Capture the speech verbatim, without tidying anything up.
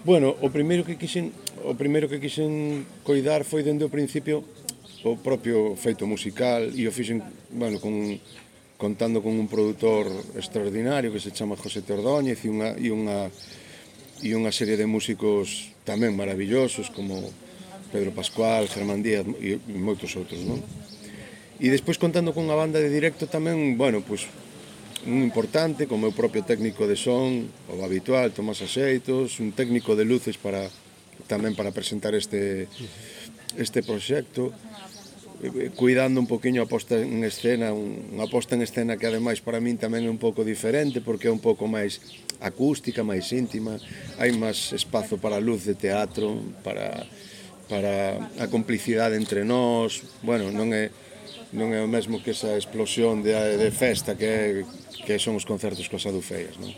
Bueno, o primeiro que quixen, o primeiro que quixen coidar foi dende o principio o propio feito musical e o fixen, bueno, con, contando con un produtor extraordinario que se chama José Tordóñez e unha, e unha, e unha serie de músicos tamén maravillosos como Pedro Pascual, Germán Díaz e moitos outros, non? E despois contando con unha banda de directo tamén, bueno, pois un importante, como o propio técnico de son, o habitual, Tomás Axeitos, un técnico de luces para tamén para presentar este este proxecto, cuidando un poquinho a posta en escena, unha posta en escena que ademais para min tamén é un pouco diferente porque é un pouco máis acústica, máis íntima, hai máis espazo para a luz de teatro, para para a complicidade entre nós, bueno, non é non é o mesmo que esa explosión de, de festa que, é, que son os concertos coas adufeias, non?